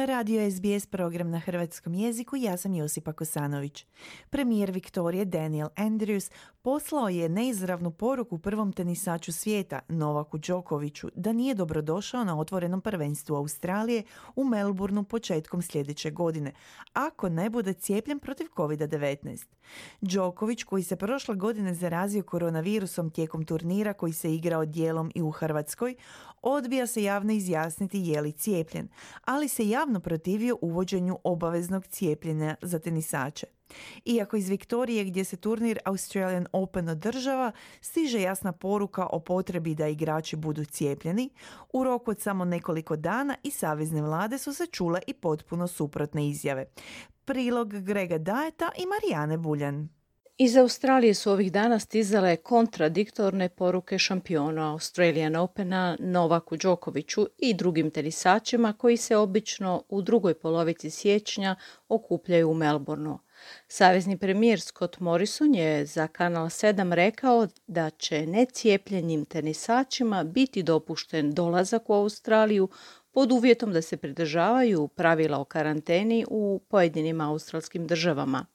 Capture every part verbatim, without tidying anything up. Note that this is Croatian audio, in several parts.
Radio S B S program na hrvatskom jeziku, ja sam Josipa Kosanović. Premijer Viktorije Daniel Andrews poslao je neizravnu poruku prvom tenisaču svijeta, Novaku Đokoviću, da nije dobrodošao na otvorenom prvenstvu Australije u Melbourneu početkom sljedeće godine, ako ne bude cijepljen protiv covid devetnaest. Đoković, koji se prošle godine zarazio koronavirusom tijekom turnira koji se igrao dijelom i u Hrvatskoj, odbija se javno izjasniti je li cijepljen, ali se javno protivio uvođenju obaveznog cijepljenja za tenisače. Iako iz Viktorije, gdje se turnir Australian Open održava, stiže jasna poruka o potrebi da igrači budu cijepljeni, u roku od samo nekoliko dana i savezne vlade su se čule i potpuno suprotne izjave. Prilog Grega Dajeta i Marijane Buljan. Iz Australije su ovih dana stizale kontradiktorne poruke šampiona Australian Opena Novaku Đokoviću i drugim tenisačima koji se obično u drugoj polovici siječnja okupljaju u Melbourneu. Savezni premijer Scott Morrison je za Kanal sedam rekao da će necijepljenim tenisačima biti dopušten dolazak u Australiju pod uvjetom da se pridržavaju pravila o karanteni u pojedinim australskim državama.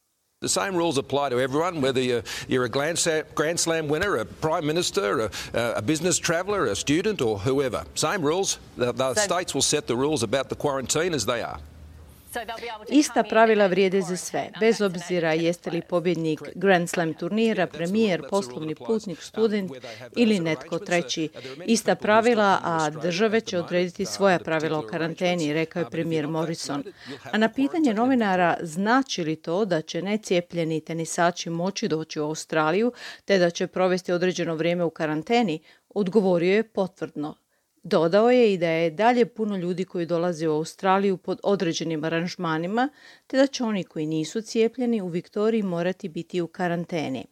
The same rules apply to everyone, whether you're, you're a Grand Slam, Grand Slam winner, a Prime Minister, a, a business traveller, a student or whoever. Same rules. The, the states will set the rules about the quarantine as they are. Ista pravila vrijede za sve, bez obzira jeste li pobjednik Grand Slam turnira, premijer, poslovni putnik, student ili netko treći. Ista pravila, a države će odrediti svoja pravila o karanteni, rekao je premijer Morrison. A na pitanje novinara znači li to da će necijepljeni tenisači moći doći u Australiju te da će provesti određeno vrijeme u karanteni, odgovorio je potvrdno. Dodao je i da je dalje puno ljudi koji dolaze u Australiju pod određenim aranžmanima, te da će oni koji nisu cijepljeni u Viktoriji morati biti u karanteni.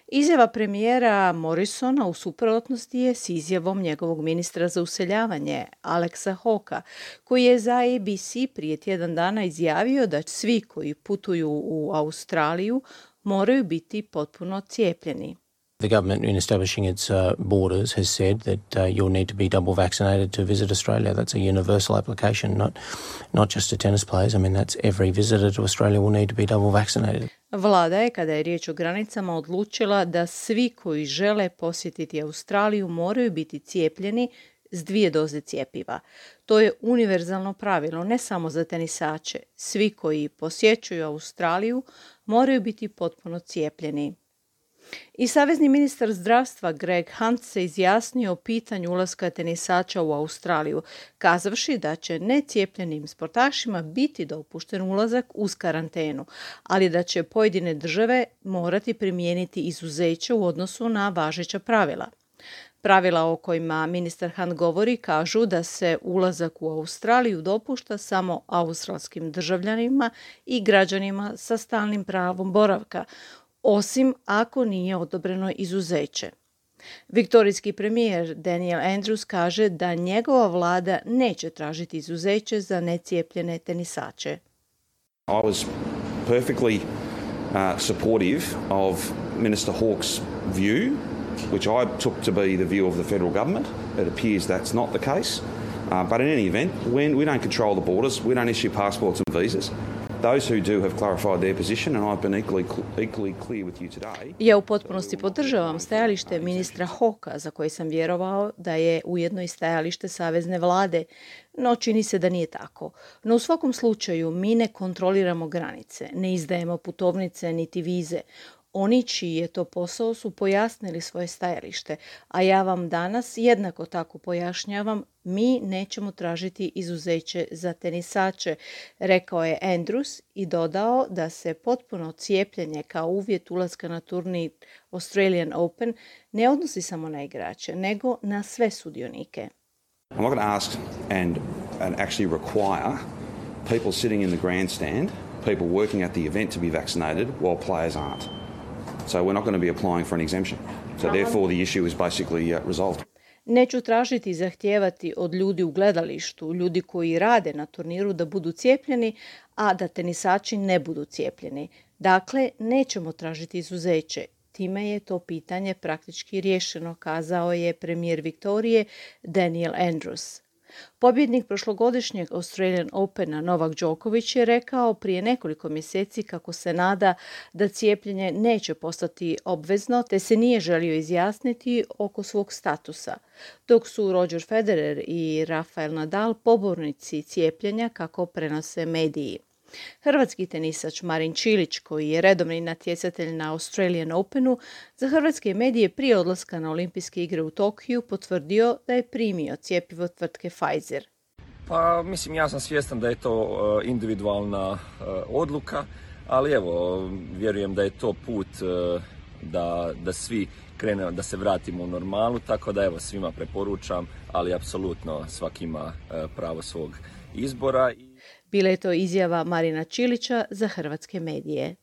Izjava premijera Morrisona u suprotnosti je s izjavom njegovog ministra za useljavanje, Alexa Hawka, koji je za A B C prije tjedan dana izjavio da svi koji putuju u Australiju moraju biti potpuno cijepljeni. The government, in establishing its uh, borders, has said that uh, you'll need to be double vaccinated to visit Australia. That's a universal application, not not just to tennis players. I mean, that's every visitor to Australia will need to be double vaccinated. Vlada je, kada je riječ o granicama, odlučila da svi koji žele posjetiti Australiju moraju biti cijepljeni s dvije doze cjepiva. To je univerzalno pravilo, ne samo za tenisače. Svi koji posjećuju Australiju moraju biti potpuno cijepljeni. I savezni ministar zdravstva Greg Hunt se izjasnio o pitanju ulaska tenisača u Australiju, kazavši da će necijepljenim sportašima biti dopušten ulazak uz karantenu, ali da će pojedine države morati primijeniti izuzeće u odnosu na važeća pravila. Pravila o kojima ministar Hunt govori kažu da se ulazak u Australiju dopušta samo australskim državljanima i građanima sa stalnim pravom boravka, osim ako nije odobreno izuzeće. Viktorijski premijer Daniel Andrews kaže da njegova vlada neće tražiti izuzeće za necijepljene tenisače. I was perfectly uh, supportive of Minister Hawke's view, which I took to be the view of the federal government. It appears that's not the case. Uh, but in any event, when we don't control the borders, we don't issue passports and visas. Those who do have clarified their position, and I've been equally, equally clear with you today. Ja u potpunosti podržavam stajalište ministra Hawka, za koje sam vjerovao da je ujedno i stajalište savezne vlade, no čini se da nije tako. No u svakom slučaju mi ne kontroliramo granice, ne izdajemo putovnice niti vize. Oni čiji je to posao su pojasnili svoje stajalište, a ja vam danas jednako tako pojašnjavam, mi nećemo tražiti izuzeće za tenisače, rekao je Andrews i dodao da se potpuno cijepljenje kao uvjet ulaska na turnir Australian Open ne odnosi samo na igrače, nego na sve sudionike. I'm not going to ask and, and actually require people sitting in the grandstand, people working at the event to be vaccinated while players aren't. So we're not going to be applying for an exemption. So therefore the issue is basically uh, resolved. Neću tražiti i zahtijevati od ljudi u gledalištu, ljudi koji rade na turniru da budu cijepljeni, a da tenisači ne budu cijepljeni. Dakle, nećemo tražiti izuzeće. Time je to pitanje praktički riješeno, kazao je premijer Viktorije Daniel Andrews. Pobjednik prošlogodišnjeg Australian Opena Novak Djokovic je rekao prije nekoliko mjeseci kako se nada da cijepljenje neće postati obvezno, te se nije želio izjasniti oko svog statusa, dok su Roger Federer i Rafael Nadal pobornici cijepljenja kako prenose mediji. Hrvatski tenisač Marin Čilić, koji je redovni natjecatelj na Australian Openu, za hrvatske medije prije odlaska na olimpijske igre u Tokiju potvrdio da je primio cjepivo tvrtke Pfizer. Pa mislim, ja sam svjestan da je to individualna odluka, ali evo, vjerujem da je to put da, da svi krenemo, da se vratimo u normalu, tako da evo, svima preporučam, ali apsolutno svaki ima pravo svog izbora. Bila je to izjava Marina Čilića za hrvatske medije.